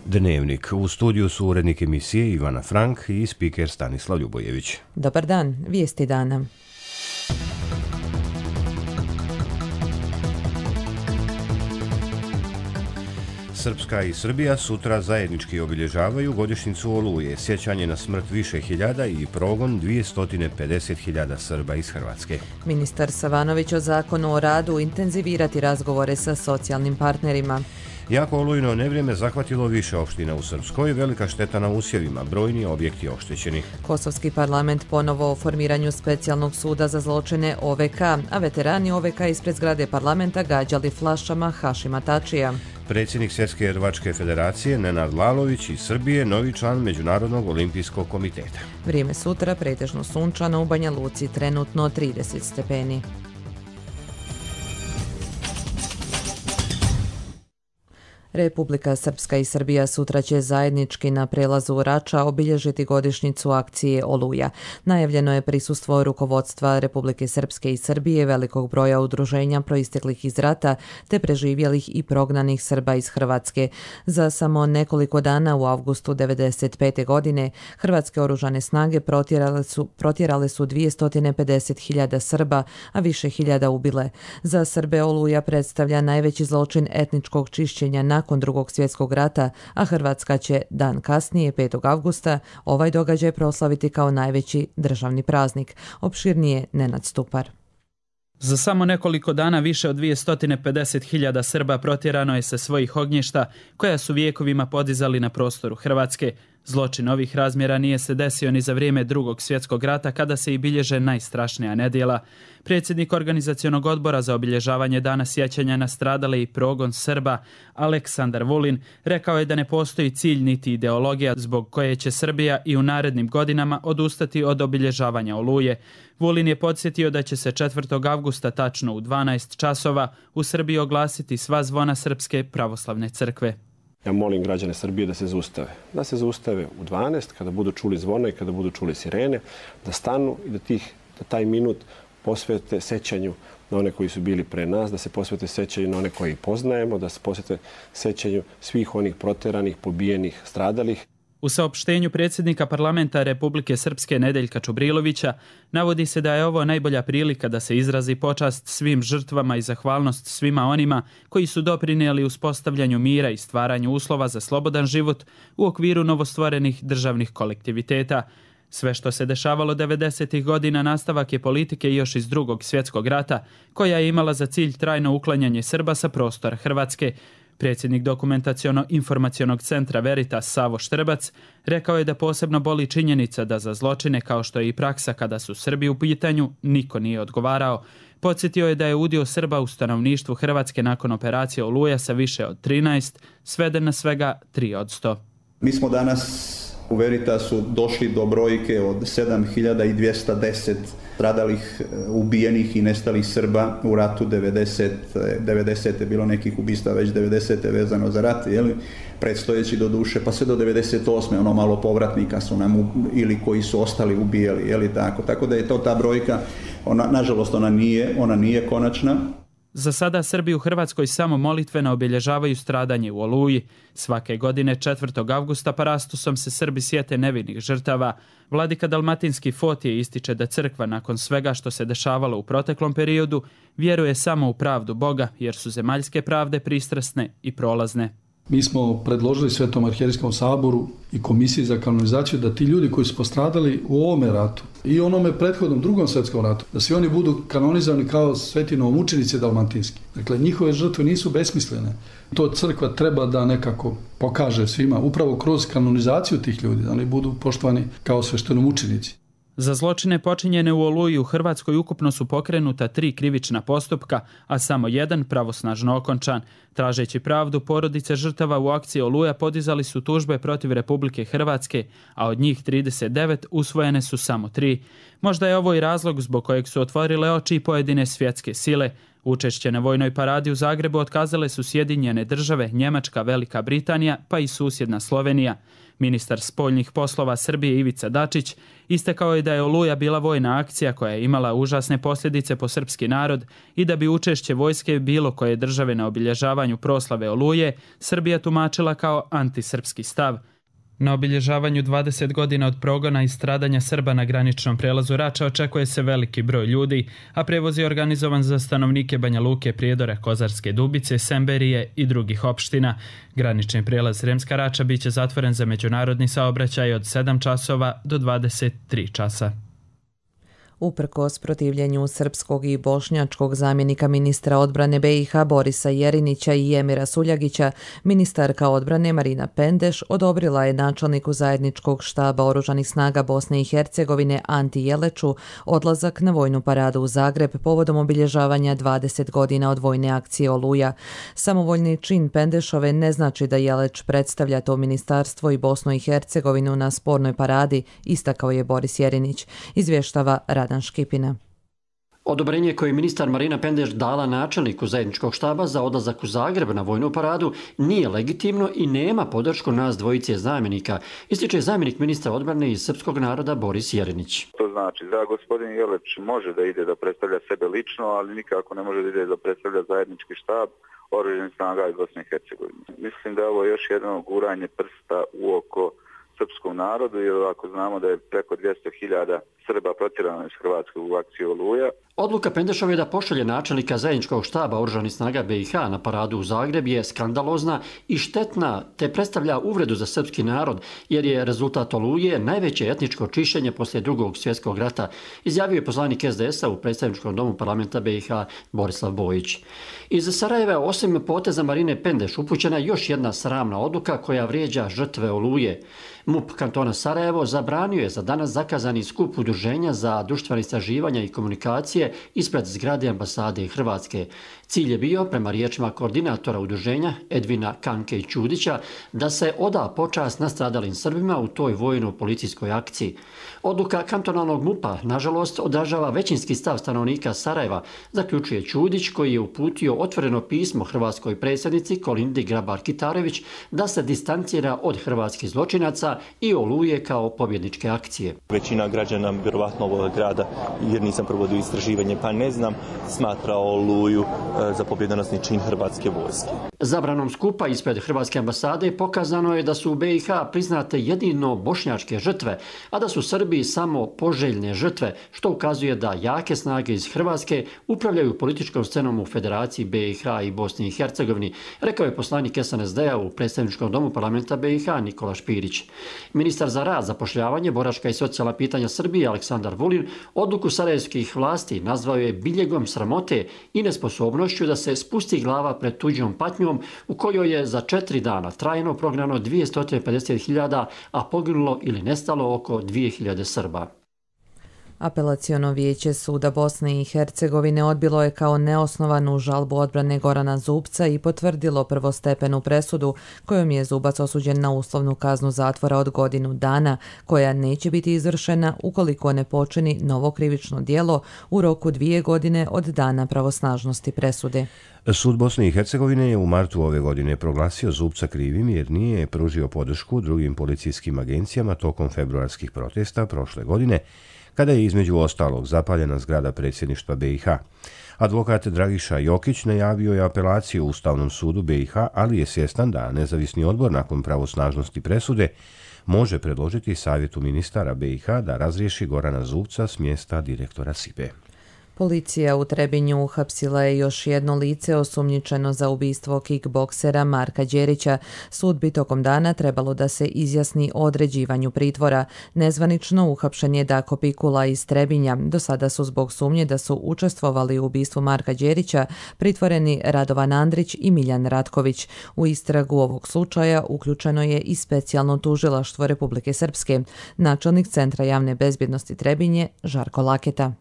Dnevnik. U studiju su urednik emisije Ivana Frank i spiker Stanislav Ljubojević. Dobar dan, vijesti dana. Srpska i Srbija sutra zajednički obilježavaju godišnjicu Oluje, sjećanje na smrt više hiljada i progon 250.000 Srba iz Hrvatske. Ministar Savanović o zakonu o radu intenzivirati razgovore sa socijalnim partnerima. Jako olujno nevrijeme zahvatilo više opština u Srpskoj, velika šteta na usjevima, brojni objekti oštećeni. Kosovski parlament ponovo o formiranju specijalnog suda za zločine OVK, a veterani OVK ispred zgrade parlamenta gađali flašama Hašima Tačija. Predsjednik Svjetske rvačke federacije Nenad Lalović iz Srbije, novi član Međunarodnog olimpijskog komiteta. Vrijeme sutra pretežno sunčano, u Banja Luci trenutno 30 stepeni. Republika Srpska i Srbija sutra će zajednički na prelazu Rača obilježiti godišnjicu akcije Oluja. Najavljeno je prisustvo rukovodstva Republike Srpske i Srbije, velikog broja udruženja proisteklih iz rata, te preživjelih i prognanih Srba iz Hrvatske. Za samo nekoliko dana u avgustu 1995. godine hrvatske oružane snage protjerale su 250.000 Srba, a više hiljada ubile. Za Srbe Oluja predstavlja najveći zločin etničkog čišćenja nakon Drugog svjetskog rata, a Hrvatska će dan kasnije, 5. avgusta, ovaj događaj proslaviti kao najveći državni praznik. Opširnije Nenad Stupar. Za samo nekoliko dana više od 250.000 Srba protjerano je sa svojih ognjišta koja su vijekovima podizali na prostoru Hrvatske. Zločin ovih razmjera nije se desio ni za vrijeme Drugog svjetskog rata kada se i bilježe najstrašnija nedjela. Predsjednik organizacionog odbora za obilježavanje dana sjećanja na stradale i progon Srba, Aleksandar Vulin, rekao je da ne postoji cilj niti ideologija zbog koje će Srbija i u narednim godinama odustati od obilježavanja Oluje. Vulin je podsjetio da će se 4. avgusta tačno u 12 časova u Srbiji oglasiti sva zvona Srpske pravoslavne crkve. Ja molim građane Srbije da se zaustave. Da se zaustave u 12, kada budu čuli zvona i kada budu čuli sirene, da stanu i da taj minut posvete sećanju na one koji su bili pre nas, da se posvete sećanju na one koji poznajemo, da se posvete sećanju svih onih proteranih, pobijenih, stradalih. U saopštenju predsjednika parlamenta Republike Srpske Nedeljka Čubrilovića navodi se da je ovo najbolja prilika da se izrazi počast svim žrtvama i zahvalnost svima onima koji su doprinijeli uspostavljanju mira i stvaranju uslova za slobodan život u okviru novostvorenih državnih kolektiviteta. Sve što se dešavalo 90. godina nastavak je politike još iz Drugog svjetskog rata, koja je imala za cilj trajno uklanjanje Srba sa prostora Hrvatske. Predsjednik dokumentaciono-informacionog centra Veritas Savo Štrbac rekao je da posebno boli činjenica da za zločine kao što je i praksa kada su Srbi u pitanju niko nije odgovarao. Podsjetio je da je udio Srba u stanovništvu Hrvatske nakon operacije Oluja sa više od 13 sveden na svega 3%. Mi smo danas u Veritasu došli do brojke od 7.210 stradalih, ubijenih i nestalih Srba u ratu 90. je bilo nekih ubistava već 90. vezano za rat, predstojeći do duše, pa sve do 98. ono malo povratnika su nam ili koji su ostali ubijali, tako da je to ta brojka, nažalost ona nije konačna. Za sada Srbi u Hrvatskoj samo molitveno obilježavaju stradanje u Oluji. Svake godine 4. avgusta parastusom se Srbi sjete nevinih žrtava. Vladika Dalmatinski Fotije ističe da crkva nakon svega što se dešavalo u proteklom periodu vjeruje samo u pravdu Boga, jer su zemaljske pravde pristrasne i prolazne. Mi smo predložili Svetom arhijerejskom saboru i komisiji za kanonizaciju da ti ljudi koji su postradali u ovome ratu i onome prethodnom Drugom svjetskom ratu, da svi oni budu kanonizovani kao sveti novomučenici dalmatinski. Dakle, njihove žrtve nisu besmislene. To crkva treba da nekako pokaže svima, upravo kroz kanonizaciju tih ljudi, da oni budu poštovani kao sveštenomučenici. Za zločine počinjene u Oluji u Hrvatskoj ukupno su pokrenuta 3 krivična postupka, a samo jedan pravosnažno okončan. Tražeći pravdu, porodice žrtava u akciji Oluja podizali su tužbe protiv Republike Hrvatske, a od njih 39 usvojene su samo 3. Možda je ovo i razlog zbog kojeg su otvorile oči i pojedine svjetske sile. Učešće na vojnoj paradi u Zagrebu otkazale su Sjedinjene Države, Njemačka, Velika Britanija pa i susjedna Slovenija. Ministar spoljnih poslova Srbije Ivica Dačić istakao je da je Oluja bila vojna akcija koja je imala užasne posljedice po srpski narod i da bi učešće vojske bilo koje države na obilježavanju proslave Oluje Srbija tumačila kao antisrpski stav. Na obilježavanju 20 godina od progona i stradanja Srba na graničnom prelazu Rača očekuje se veliki broj ljudi, a prevoz je organizovan za stanovnike Banja Luke, Prijedora, Kozarske Dubice, Semberije i drugih opština. Granični prijelaz Sremska Rača biće zatvoren za međunarodni saobraćaj od 7 časova do 23 časa. Uprkos protivljenju srpskog i bošnjačkog zamjenika ministra odbrane BiH Borisa Jerinića i Emira Suljagića, ministarka odbrane Marina Pendeš odobrila je načelniku zajedničkog štaba Oružanih snaga Bosne i Hercegovine Anti Jeleču odlazak na vojnu paradu u Zagreb povodom obilježavanja 20 godina od vojne akcije Oluja. Samovoljni čin Pendešove ne znači da Jeleć predstavlja to ministarstvo i Bosnu i Hercegovinu na spornoj paradi, istakao je Boris Jerinić, izvještava Radan Škipina. Odobrenje koje je ministar Marina Pendeš dala načelniku zajedničkog štaba za odlazak u Zagreb na vojnu paradu nije legitimno i nema podršku nas dvojice zamjenika, ističe zamjenik ministra odbrane iz srpskog naroda Boris Jerinić. To znači da gospodin Jeleć može da ide da predstavlja sebe lično, ali nikako ne može da ide da predstavlja zajednički štab Oružanih snaga iz Bosne i Hercegovine. Mislim da je ovo još jedno guranje prsta u oko srpskom narodu, jer ako znamo da je preko 200.000 Srba protjerano iz Hrvatske u akciji Oluja. Odluka Pendešove da pošalje načelnika zajedničkog štaba Oružanih snaga BiH na paradu u Zagreb je skandalozna i štetna, te predstavlja uvredu za srpski narod, jer je rezultat Oluje najveće etničko čišćenje poslije Drugog svjetskog rata, izjavio je poslanik SDS-a u predstavničkom domu parlamenta BiH Borislav Bojić. Iz Sarajeva, osim poteza Marine Pendeš, upućena još jedna sramna odluka koja vrijeđa žrtve Oluje. MUP kantona Sarajevo zabranio je za danas zakazani skup udruženja za društvena istraživanja i komunikacije ispred zgrade ambasade Hrvatske. Cilj je bio, prema riječima koordinatora udruženja Edvina Kanke i Čudića, da se oda počast nastradalim Srbima u toj vojno-policijskoj akciji. Odluka kantonalnog MUP-a, nažalost, odražava većinski stav stanovnika Sarajeva, zaključuje Čudić, koji je uputio otvoreno pismo hrvatskoj predsjednici Kolindi Grabar-Kitarović da se distancira od hrvatskih zločinaca i Oluje kao pobjedničke akcije. Većina građana, vjerovatno ovog grada, jer nisam provodio istraživanje pa ne znam, smatra Oluju za pobjedonosni čin hrvatske vojske. Zabranom skupa ispred hrvatske ambasade pokazano je da su u BiH priznate jedino bošnjačke žrtve, a da su Srbi samo poželjne žrtve, što ukazuje da jake snage iz Hrvatske upravljaju političkom scenom u Federaciji BiH i Bosni i Hercegovini, rekao je poslanik SNSD-a u predstavničkom domu parlamenta BiH Nikola Špirić. Ministar za rad, zapošljavanje, boračka i socijalna pitanja Srbije Aleksandar Vulin odluku sarajevskih vlasti nazvao je biljegom sramote i nesposobnošću da se spusti glava pred tuđom patnjom u kojoj je za 4 dana trajno prognano 250.000, a poginulo ili nestalo oko 2.000 Srba. Apelaciono vijeće suda Bosne i Hercegovine odbilo je kao neosnovanu žalbu odbrane Gorana Zubca i potvrdilo prvostepenu presudu kojom je Zubac osuđen na uslovnu kaznu zatvora od 1 godinu dana, koja neće biti izvršena ukoliko ne počini novo krivično djelo u roku 2 godine od dana pravosnažnosti presude. Sud Bosne i Hercegovine je u martu ove godine proglasio Zubca krivim jer nije pružio podršku drugim policijskim agencijama tokom februarskih protesta prošle godine, kada je između ostalog zapaljena zgrada predsjedništva BiH. Advokat Dragiša Jokić najavio je apelaciju u Ustavnom sudu BiH, ali je svjestan da nezavisni odbor nakon pravosnažnosti presude može predložiti Savjetu ministara BiH da razriješi Gorana Zubca s mjesta direktora SIPE. Policija u Trebinju uhapsila je još jedno lice osumnjičeno za ubistvo kickboksera Marka Đerića. Sud bi tokom dana trebalo da se izjasni o određivanju pritvora. Nezvanično uhapšen je Dako Pikula iz Trebinja. Do sada su zbog sumnje da su učestvovali u ubistvu Marka Đerića pritvoreni Radovan Andrić i Miljan Ratković. U istragu ovog slučaja uključeno je i specijalno tužilaštvo Republike Srpske. Načelnik Centra javne bezbjednosti Trebinje Žarko Laketa.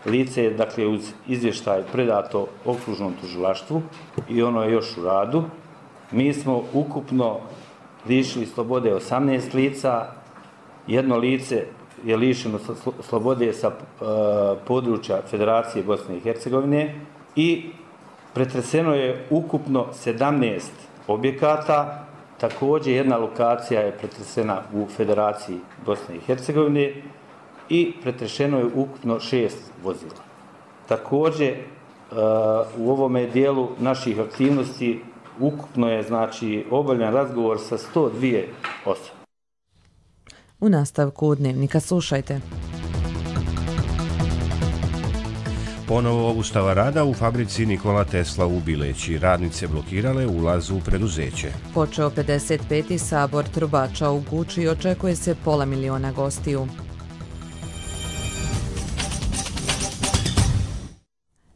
Lice je, dakle, uz izvještaj predato okružnom tužilaštvu i ono je još u radu. Mi smo ukupno lišili slobode 18 lica, jedno lice je lišeno slobode sa područja Federacije Bosne i Hercegovine i pretreseno je ukupno 17 objekata. Također jedna lokacija je pretresena u Federaciji Bosne i Hercegovine i pretrešeno je ukupno 6 vozila. Također u ovome dijelu naših aktivnosti ukupno je obavljen razgovor sa 102 osobe. U nastavku Dnevnika slušajte. Ponovo obustava rada u fabrici Nikola Tesla u Bileći. Radnice blokirale ulaz u preduzeće. Počeo 55. sabor trubača u Guči i očekuje se 500.000 gostiju.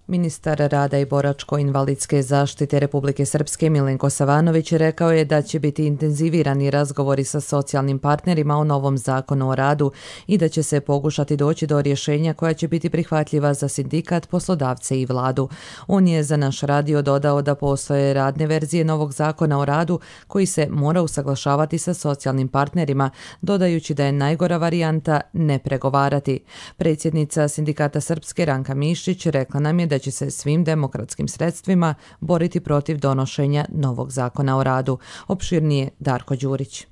Ministar rada i boračko-invalidske zaštite Republike Srpske Milenko Savanović rekao je da će biti intenzivirani razgovori sa socijalnim partnerima o novom zakonu o radu i da će se pokušati doći do rješenja koja će biti prihvatljiva za sindikat, poslodavce i vladu. On je za naš radio dodao da postoje radne verzije novog zakona o radu koji se mora usaglašavati sa socijalnim partnerima, dodajući da je najgora varijanta ne pregovarati. Predsjednica sindikata Srpske Ranka Mišić rekla nam je da će se svim demokratskim sredstvima boriti protiv donošenja novog zakona o radu. Opširnije Darko Đurić.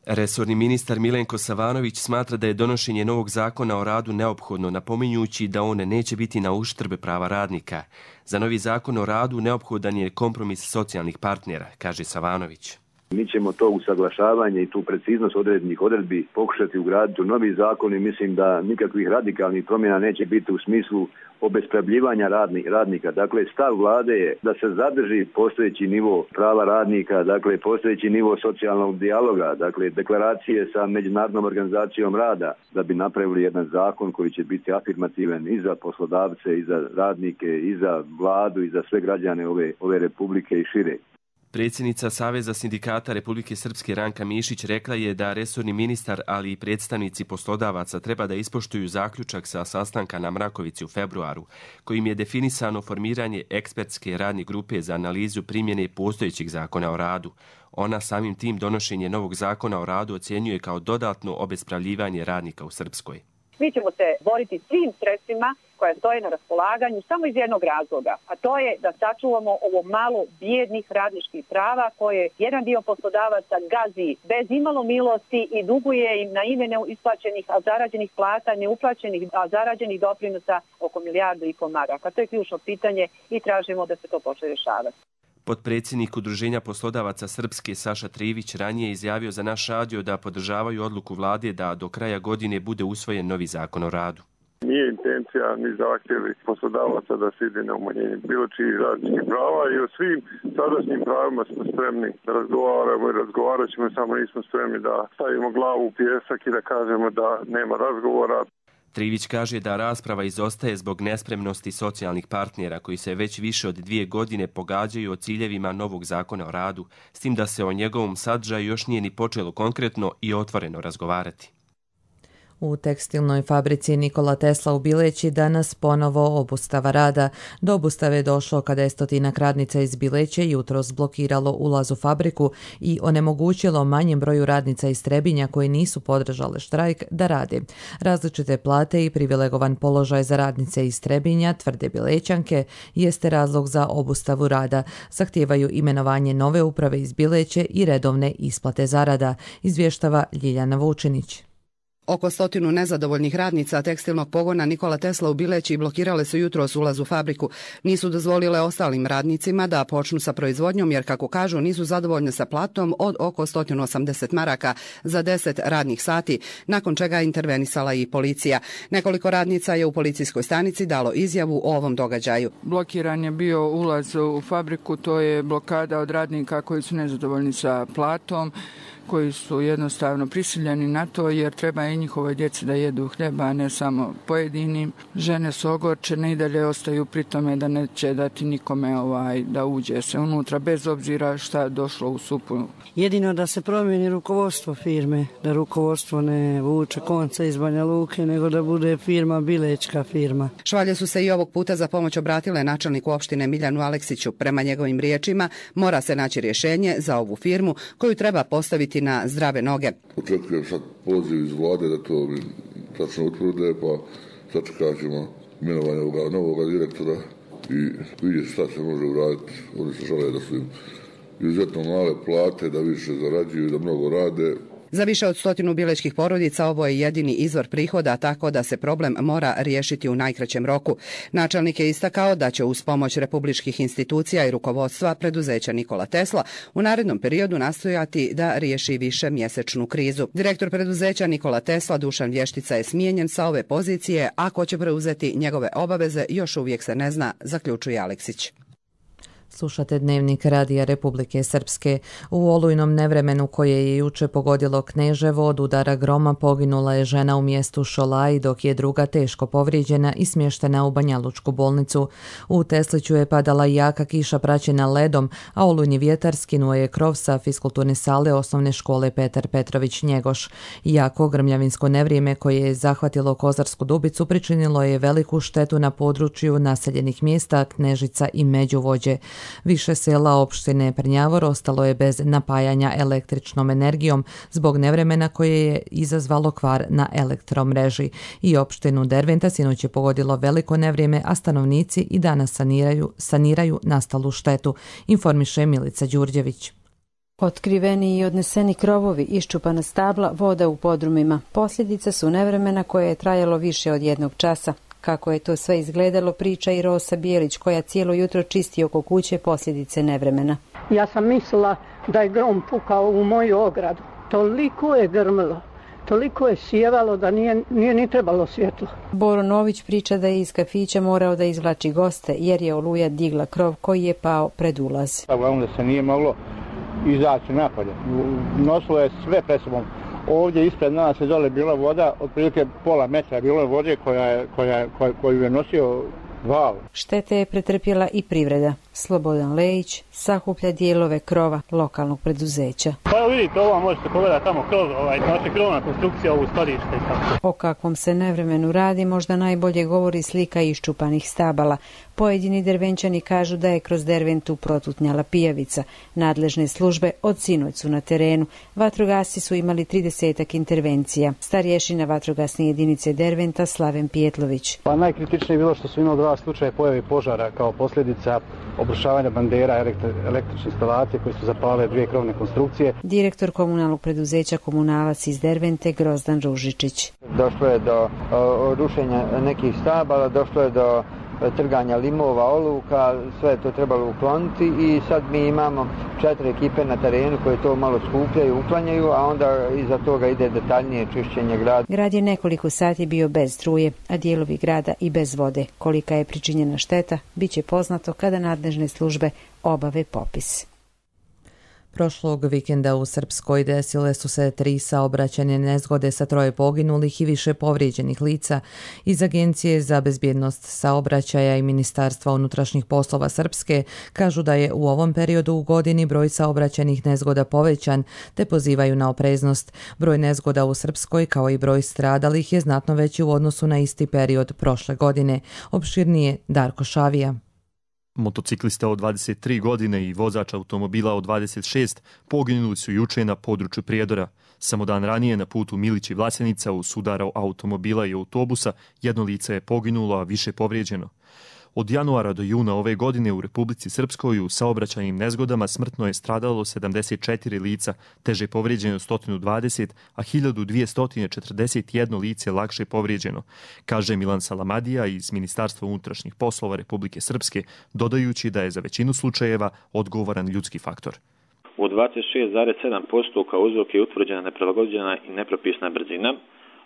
Resorni ministar Milenko Savanović smatra da je donošenje novog zakona o radu neophodno, napominjući da on neće biti na uštrb prava radnika. Za novi zakon o radu neophodan je kompromis socijalnih partnera, kaže Savanović. Mi ćemo to usaglašavanje i tu preciznost određenih odredbi pokušati ugraditi u novi zakon i mislim da nikakvih radikalnih promjena neće biti u smislu obespravljivanja radnika. Dakle, stav vlade je da se zadrži postojeći nivo prava radnika, dakle, postojeći nivo socijalnog dijaloga, dakle, deklaracije sa Međunarodnom organizacijom rada, da bi napravili jedan zakon koji će biti afirmativan i za poslodavce, i za radnike, i za vladu, i za sve građane ove republike i šire. Predsjednica Saveza sindikata Republike Srpske Ranka Mišić rekla je da resorni ministar, ali i predstavnici poslodavaca treba da ispoštuju zaključak sa sastanka na Mrakovici u februaru, kojim je definisano formiranje ekspertske radne grupe za analizu primjene postojećih zakona o radu. Ona samim tim donošenje novog zakona o radu ocjenjuje kao dodatno obespravljivanje radnika u Srpskoj. Mi ćemo se boriti svim sredstvima koja stoje na raspolaganju samo iz jednog razloga, a to je da sačuvamo ovo malo bijednih radničkih prava koje jedan dio poslodavaca gazi bez imalo milosti i duguje im na ime neisplaćenih, a zarađenih plata, neuplaćenih, a zarađenih doprinosa oko 1,5 milijardu maraka. To je ključno pitanje i tražimo da se to počne rješavati. Potpredsjednik Udruženja poslodavaca Srpske Saša Trivić ranije izjavio za naš radio da podržavaju odluku vlade da do kraja godine bude usvojen novi zakon o radu. Nije intencija ni zahtjevi poslodavaca da se ide na umanjenje bilo čijih radničkih prava i o svim sadašnjim pravima smo spremni da razgovaramo i razgovarat ćemo, samo nismo spremni da stavimo glavu u pijesak i da kažemo da nema razgovora. Trivić kaže da rasprava izostaje zbog nespremnosti socijalnih partnera koji se već više od 2 godine pogađaju o ciljevima novog zakona o radu, s tim da se o njegovom sadržaju još nije ni počelo konkretno i otvoreno razgovarati. U tekstilnoj fabrici Nikola Tesla u Bileći danas ponovo obustava rada. Do obustave je došlo kada je 100 radnica iz Bileće jutros blokiralo ulaz u fabriku i onemogućilo manjem broju radnica iz Trebinja koji nisu podržale štrajk da rade. Različite plate i privilegovan položaj za radnice iz Trebinja, tvrde Bilećanke, jeste razlog za obustavu rada. Zahtijevaju imenovanje nove uprave iz Bileće i redovne isplate zarada, izvještava Ljiljana Vučinić. Oko 100 nezadovoljnih radnica tekstilnog pogona Nikola Tesla u Bileći blokirale su jutros ulaz u fabriku. Nisu dozvolile ostalim radnicima da počnu sa proizvodnjom jer, kako kažu, nisu zadovoljne sa platom od oko 180 maraka za 10 radnih sati, nakon čega je intervenisala i policija. Nekoliko radnica je u policijskoj stanici dalo izjavu o ovom događaju. Blokiran je bio ulaz u fabriku, to je blokada od radnika koji su nezadovoljni sa platom, koji su jednostavno prisiljeni na to jer treba i njihove djece da jedu hljeba, a ne samo pojedini. Žene su ogorčene i dalje ostaju pri tome da neće dati nikome da uđe se unutra, bez obzira šta je došlo u supu. Jedino da se promijeni rukovodstvo firme, da rukovodstvo ne vuče konce iz Banja Luke, nego da bude firma Bilečka firma. Švalje su se i ovog puta za pomoć obratile načelniku opštine Miljanu Aleksiću. Prema njegovim riječima mora se naći rješenje za ovu firmu koju treba postaviti na zdrave noge. Očekujem sad poziv iz vlade da to tačno utvrde, pa sačekat ćemo imenovanje ovoga novog direktora i vidjeti šta se može uraditi. Oni se žele da su im izuzetno male plate, da više zarađuju, da mnogo rade. Za više od 100 bilećkih porodica ovo je jedini izvor prihoda, tako da se problem mora riješiti u najkraćem roku. Načelnik je istakao da će uz pomoć republičkih institucija i rukovodstva preduzeća Nikola Tesla u narednom periodu nastojati da riješi više mjesečnu krizu. Direktor preduzeća Nikola Tesla Dušan Vještica je smijenjen sa ove pozicije, a ko će preuzeti njegove obaveze još uvijek se ne zna, zaključuje Aleksić. Slušate Dnevnik Radija Republike Srpske. U olujnom nevremenu koje je juče pogodilo Kneževo od udara groma poginula je žena u mjestu Šolaj, dok je druga teško povrijeđena i smještena u Banjalučku bolnicu. U Tesliću je padala jaka kiša praćena ledom, a olujni vjetar skinuo je krov sa fiskulturne sale osnovne škole Petar Petrović Njegoš. Jako grmljavinsko nevrijeme koje je zahvatilo Kozarsku Dubicu pričinilo je veliku štetu na području naseljenih mjesta Knežica i Međuvođe. Više sela opštine Prnjavor ostalo je bez napajanja električnom energijom zbog nevremena koje je izazvalo kvar na elektromreži. I opštinu Derventa sinoć je pogodilo veliko nevrijeme, a stanovnici i danas saniraju nastalu štetu, informiše Milica Đurđević. Otkriveni i odneseni krovovi, iščupana stabla, voda u podrumima. Posljedice su nevremena koje je trajalo više od 1 časa. Kako je to sve izgledalo, priča i Rosa Bijelić, koja cijelo jutro čisti oko kuće posljedice nevremena. Ja sam mislila da je grom pukao u moju ogradu. Toliko je grmilo, toliko je sjevalo da nije ni trebalo svjetlo. Boro Nović priča da je iz kafića morao da izvlači goste jer je oluja digla krov koji je pao pred ulaz. Uglavnom da se nije moglo izaći napolje. Nosilo je sve pred sobom. Ovdje ispred nas je dole bila voda, otprilike pola metra bilo je vode koju je nosio val. Štete je pretrpjela i privreda. Slobodan Lejić sakuplja dijelove krova lokalnog preduzeća. Pa evo vidite, ovo možete pogledati tamo krov, znači krovna konstrukcija ovu skladište. O kakvom se nevremenu radi možda najbolje govori slika iščupanih stabala. Pojedini Dervenčani kažu da je kroz Derventu protutnjala pijavica. Nadležne službe od sinoć su na terenu. Vatrogasci su imali 30 intervencija. Starješina vatrogasne jedinice Derventa Slaven Pijetlović. Pa najkritičnije je bilo što su imali 2 slučaja pojave požara kao posljedica obrušavanja bandera električne instalacije koje su zapale 2 krovne konstrukcije. Direktor komunalnog preduzeća Komunalac iz Dervente Grozdan Ružičić. Došlo je do rušenja nekih stabala, došlo je do trganja limova, oluka, sve je to trebalo ukloniti i sad mi imamo 4 ekipe na terenu koje to malo skupljaju, uklanjaju, a onda iza toga ide detaljnije čišćenje grada. Grad je nekoliko sati bio bez struje, a dijelovi grada i bez vode. Kolika je pričinjena šteta, bit će poznato kada nadležne službe obave popis. Prošlog vikenda u Srpskoj desile su se 3 saobraćajne nezgode sa 3 poginulih i više povrijeđenih lica. Iz Agencije za bezbjednost saobraćaja i Ministarstva unutrašnjih poslova Srpske kažu da je u ovom periodu u godini broj saobraćajnih nezgoda povećan, te pozivaju na opreznost. Broj nezgoda u Srpskoj kao i broj stradalih je znatno veći u odnosu na isti period prošle godine. Opširnije Darko Šavija. Motociklista od 23 godine i vozač automobila od 26 poginuli su juče na području Prijedora. Samo dan ranije na putu Milić i Vlasenica u sudaru automobila i autobusa 1 lice je poginulo, a više povrijeđeno. Od januara do juna ove godine u Republici Srpskoj u saobraćajnim nezgodama smrtno je stradalo 74 lica, teže povrijeđeno 120, a 1241 lice lakše povrijeđeno, kaže Milan Salamadija iz Ministarstva unutrašnjih poslova Republike Srpske, dodajući da je za većinu slučajeva odgovoran ljudski faktor. U 26,7% kao uzrok je utvrđena neprilagođena i nepropisna brzina.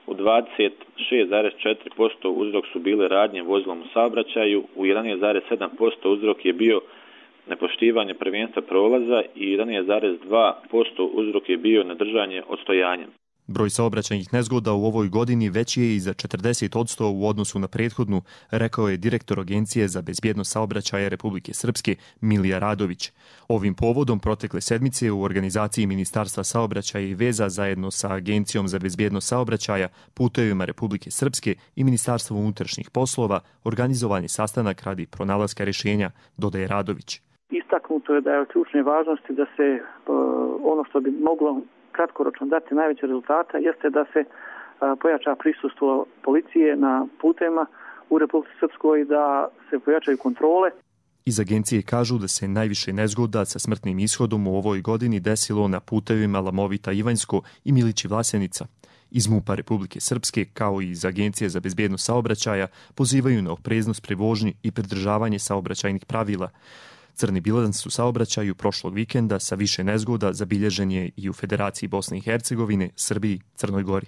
U 26,4% uzrok su bile radnje vozilom u saobraćaju, u 11,7% uzrok je bio nepoštivanje prvenstva prolaza i 11,2% uzrok je bio nedržanje odstojanja. Broj saobraćajnih nezgoda u ovoj godini veći je i za 40% u odnosu na prethodnu, rekao je direktor Agencije za bezbjednost saobraćaja Republike Srpske Milija Radović. Ovim povodom protekle sedmice u organizaciji Ministarstva saobraćaja i veza zajedno sa Agencijom za bezbjednost saobraćaja, putevima Republike Srpske i Ministarstvom unutrašnjih poslova organizovan je sastanak radi pronalaska rješenja, dodaje Radović. Istaknuto je da je od ključne važnosti da se ono što bi moglo kratkoročno dati najveće rezultata jeste da se pojača prisustvo policije na putevima u Republici Srpskoj da se pojačaju kontrole. Iz agencije kažu da se najviše nezgoda sa smrtnim ishodom u ovoj godini desilo na putevima Lamovita-Ivanjsko i Milići-Vlasenica. Iz MUP-a Republike Srpske, kao i iz Agencije za bezbednost saobraćaja, pozivaju na opreznost pri vožnji i pridržavanje saobraćajnih pravila. Crni bilans u saobraćaju prošlog vikenda sa više nezgoda zabilježen je i u Federaciji Bosne i Hercegovine, Srbiji, Crnoj Gori.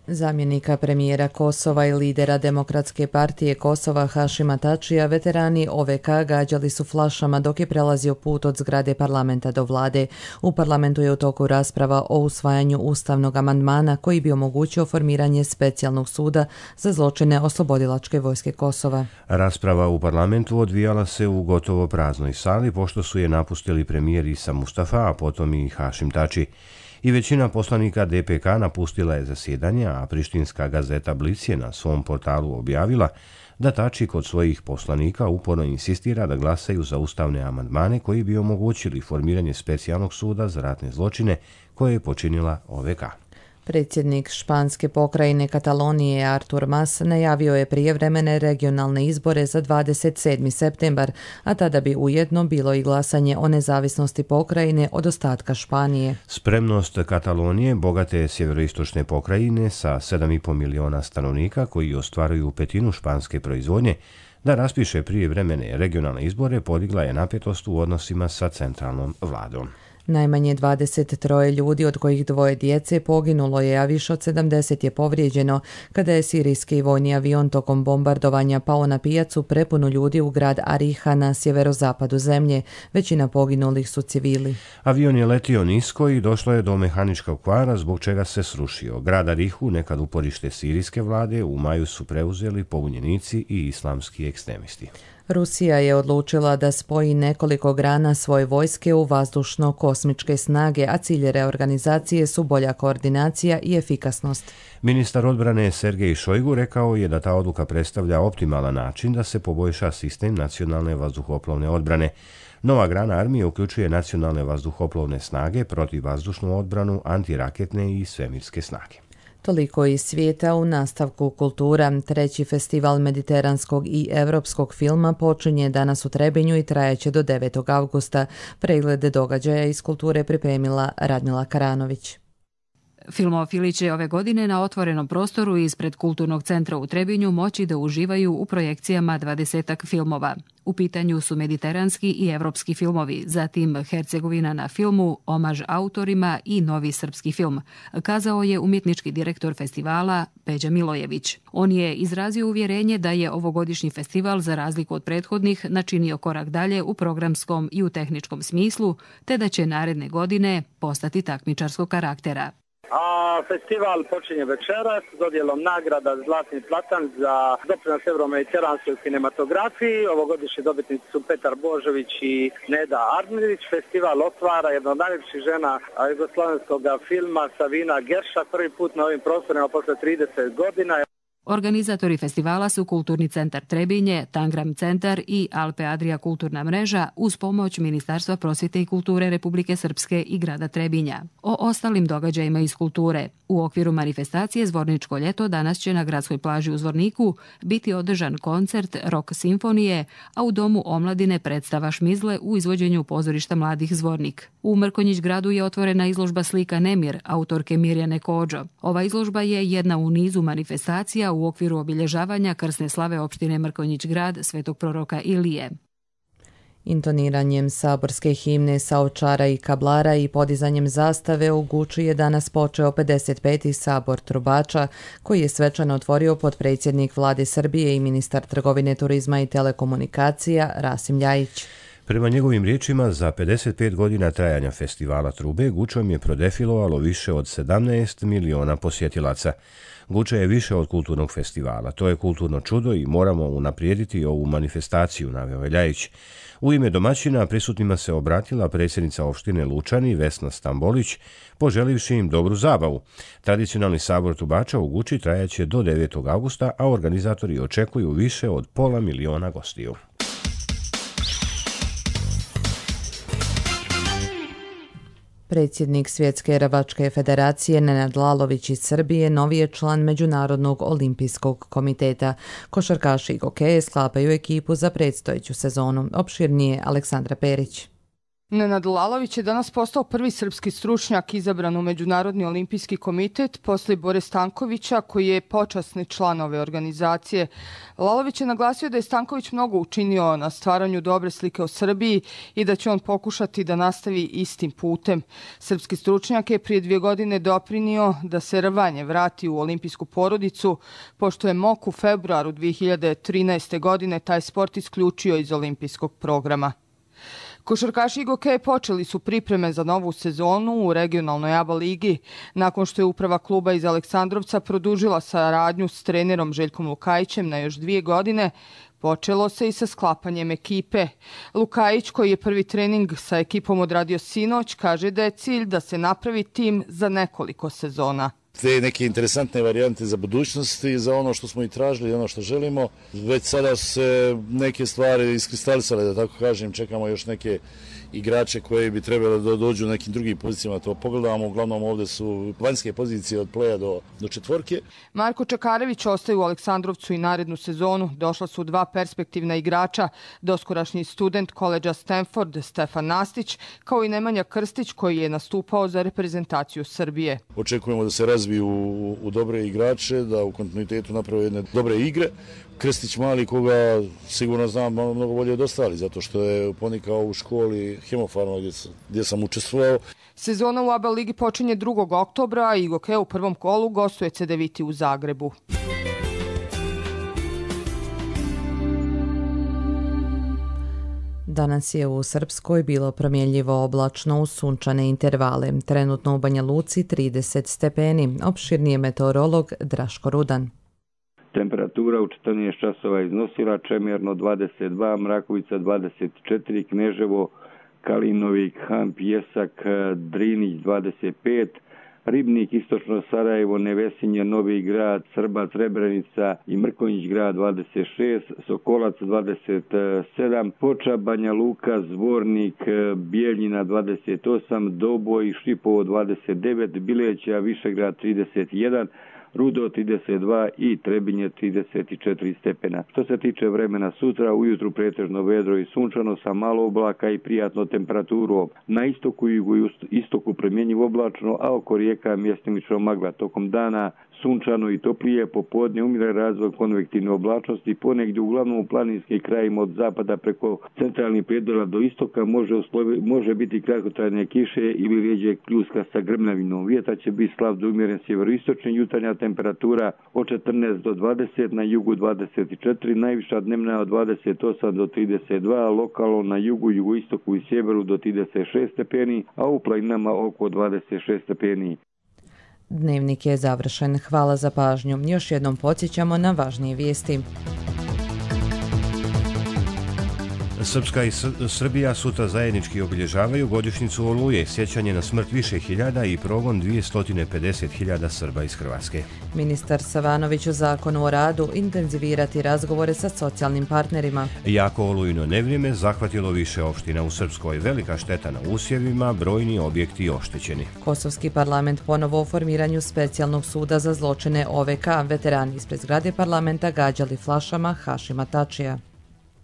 Zamjenika premijera Kosova i lidera Demokratske partije Kosova Hašima Tačija veterani OVK gađali su flašama dok je prelazio put od zgrade parlamenta do vlade. U parlamentu je u toku rasprava o usvajanju ustavnog amandmana koji bi omogućio formiranje specijalnog suda za zločine Oslobodilačke vojske Kosova. Rasprava u parlamentu odvijala se u gotovo praznoj sali pošto su je napustili premijer Isa Mustafa, a potom i Hašim Tači. I većina poslanika DPK napustila je zasjedanje, a prištinska gazeta Blic je na svom portalu objavila da Tači kod svojih poslanika uporno insistira da glasaju za ustavne amandmane koji bi omogućili formiranje specijalnog suda za ratne zločine koje je počinila OVK. Predsjednik španske pokrajine Katalonije Artur Mas najavio je prijevremene regionalne izbore za 27. septembar, a tada bi ujedno bilo i glasanje o nezavisnosti pokrajine od ostatka Španije. Spremnost Katalonije, bogate sjeveroistočne pokrajine sa 7,5 miliona stanovnika koji ostvaruju petinu španske proizvodnje, da raspiše prijevremene regionalne izbore podigla je napetost u odnosima sa centralnom vladom. Najmanje 23 ljudi, od kojih 2 djece, poginulo je, a više od 70 je povrijeđeno kada je sirijski vojni avion tokom bombardovanja pao na pijacu prepunu ljudi u grad Ariha na sjeverozapadu zemlje. Većina poginulih su civili. Avion je letio nisko i došlo je do mehaničkog kvara, zbog čega se srušio. Grad Arihu, nekad uporište sirijske vlade, u maju su preuzeli pobunjenici i islamski ekstremisti. Rusija je odlučila da spoji nekoliko grana svoje vojske u vazdušno-kosmičke snage, a cilj reorganizacije su bolja koordinacija i efikasnost. Ministar odbrane Sergej Šojgu rekao je da ta odluka predstavlja optimalan način da se poboljša sistem nacionalne vazduhoplovne odbrane. Nova grana armije uključuje nacionalne vazduhoplovne snage, protivvazdušnu odbranu, antiraketne i svemirske snage. Toliko iz svijeta. U nastavku kultura. Treći festival mediteranskog i evropskog filma počinje danas u Trebinju i trajeće do 9. avgusta. Preglede događaja iz kulture pripremila Radmila Karanović. Filmofili će ove godine na otvorenom prostoru ispred Kulturnog centra u Trebinju moći da uživaju u projekcijama 20 filmova. U pitanju su mediteranski i evropski filmovi, zatim Hercegovina na filmu, omaž autorima i novi srpski film, kazao je umjetnički direktor festivala Peđa Milojević. On je izrazio uvjerenje da je ovogodišnji festival, za razliku od prethodnih, načinio korak dalje u programskom i u tehničkom smislu, te da će naredne godine postati takmičarskog karaktera. A festival počinje večeras s dodjelom nagrada Zlatni platan za doprinos evromediteranskoj kinematografiji. Ovogodišnji dobitnici su Petar Božović i Neda Arnerić. Festival otvara jedna od najljepših žena jugoslavenskog filma Savina Gerša, prvi put na ovim prostorima posle 30 godina. Organizatori festivala su Kulturni centar Trebinje, Tangram centar i Alpe Adria kulturna mreža uz pomoć Ministarstva prosvjete i kulture Republike Srpske i grada Trebinja. O ostalim događajima iz kulture. U okviru manifestacije Zvorničko ljeto danas će na gradskoj plaži u Zvorniku biti održan koncert Rock simfonije, a u Domu omladine predstava Šmizle u izvođenju pozorišta Mladih Zvornik. U Mrkonjić gradu je otvorena izložba slika Nemir, autorke Mirjane Kođo. Ova izložba je jedna u nizu manifestacija u okviru obilježavanja krsne slave opštine Mrkonjić grad Svetog proroka Ilije. Intoniranjem saborske himne sa Ovčara i Kablara i podizanjem zastave u Guči je danas počeo 55. sabor trubača, koji je svečano otvorio potpredsjednik vlade Srbije i ministar trgovine, turizma i telekomunikacija Rasim Ljajić. Prema njegovim riječima, za 55 godina trajanja festivala trube Gučom je prodefilovalo više od 17 miliona posjetilaca. Guča je više od kulturnog festivala. To je kulturno čudo i moramo unaprijediti ovu manifestaciju, naveo je Ljajić. U ime domaćina prisutnima se obratila predsjednica opštine Lučani Vesna Stambolić, poželivši im dobru zabavu. Tradicionalni sabor trubača u Guči trajaće do 9. avgusta, a organizatori očekuju više od 500 miliona gostiju. Predsjednik Svjetske rvačke federacije Nenad Lalović iz Srbije novi je član Međunarodnog olimpijskog komiteta. Košarkaši i hokeje sklapaju ekipu za predstojeću sezonu. Opširnije Aleksandra Perić. Nenad Lalović je danas postao prvi srpski stručnjak izabran u Međunarodni olimpijski komitet posle Bore Stankovića, koji je počasni član ove organizacije. Lalović je naglasio da je Stanković mnogo učinio na stvaranju dobre slike o Srbiji i da će on pokušati da nastavi istim putem. Srpski stručnjak je prije 2 godine doprinio da se rvanje vrati u olimpijsku porodicu, pošto je MOK u februaru 2013. godine taj sport isključio iz olimpijskog programa. Košarkaši i hokeje počeli su pripreme za novu sezonu u regionalnoj ABA ligi. Nakon što je uprava kluba iz Aleksandrovca produžila saradnju s trenerom Željkom Lukajićem na još 2 godine, počelo se i sa sklapanjem ekipe. Lukajić, koji je prvi trening sa ekipom odradio sinoć, kaže da je cilj da se napravi tim za nekoliko sezona. Te neke interesantne varijante za budućnost i za ono što smo i tražili i ono što želimo. Već sada se neke stvari iskristalisale, da tako kažem, čekamo još neke igrače koji bi trebali da dođu u nekim drugim pozicijama, to pogledamo, uglavnom ovdje su vanjske pozicije od pleja do četvorke. Marko Čakarević ostaje u Aleksandrovcu i narednu sezonu. Došla su 2 perspektivna igrača, doskorašnji student koledža Stanford Stefan Nastić, kao i Nemanja Krstić, koji je nastupao za reprezentaciju Srbije. Očekujemo da se razviju u dobre igrače, da u kontinuitetu naprave jedne dobre igre. Krstić mali, koga sigurno znam mnogo bolje od ostali, zato što je ponikao u školi Hemofarma gdje sam učestvovao. Sezona u ABA ligi počinje 2. oktobra i hokej u prvom kolu gostuje CDVita u Zagrebu. Danas je u Srpskoj bilo promjenljivo oblačno uz sunčane intervale. Trenutno u Banja Luci 30 stepeni. Opširnije meteorolog Draško Rudan. Temperatura u 14 časova iznosila Čemerno 22, Mrakovica 24, Kneževo, Kalinovik, Han, Pjesak, Drinić 25, Ribnik, Istočno Sarajevo, Nevesinje, Novi Grad, Srbac, Srebrenica i Mrkonjić grad 26, Sokolac 27, Foča, Banja Luka, Zvornik, Bijeljina 28, Doboj, Šipovo 29, Bileća, Višegrad 31, Rudo 32 i Trebinje 34 stepena. Što se tiče vremena sutra, ujutru pretežno vedro i sunčano sa malo oblaka i prijatno temperaturu. Na istoku i jugoistoku promjenjivo oblačno, a oko rijeka mjestimično magla. Tokom dana sunčano i toplije, popodne umire razvoj konvektivne oblačnosti, ponegdje uglavnom u planinskim krajima od zapada preko centralnih predjela do istoka može biti kratkotrajne kiše ili rijeđe pljuska sa grmljavinom. Vjetar će biti slab do umjeren sjeveroistočni, jutarnja temperatura od 14 do 20, na jugu 24, najviša dnevna od 28 do 32, lokalno na jugu, jugoistoku i sjeveru do 36 stepeni, a u planinama oko 26 stepeni. Dnevnik je završen. Hvala za pažnju. Još jednom podsjećamo na važnije vijesti. Srpska i Srbija sutra zajednički obilježavaju godišnjicu Oluje, sjećanje na smrt više hiljada i progon 250.000 Srba iz Hrvatske. Ministar Savanović u Zakonu o radu intenzivirati razgovore sa socijalnim partnerima. Jako olujno nevrijeme zahvatilo više opština u Srpskoj, velika šteta na usjevima, brojni objekti oštećeni. Kosovski parlament ponovo o formiranju specijalnog suda za zločine OVK, veterani ispred zgrade parlamenta gađali flašama Hašima Tačija.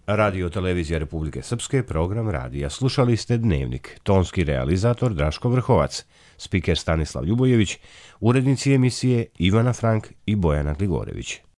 Radio Televizija Republike Srpske, program radija. Slušali ste Dnevnik. Tonski realizator Draško Vrhovac, spiker Stanislav Ljubojević, urednici emisije Ivana Frank i Bojana Gligorević.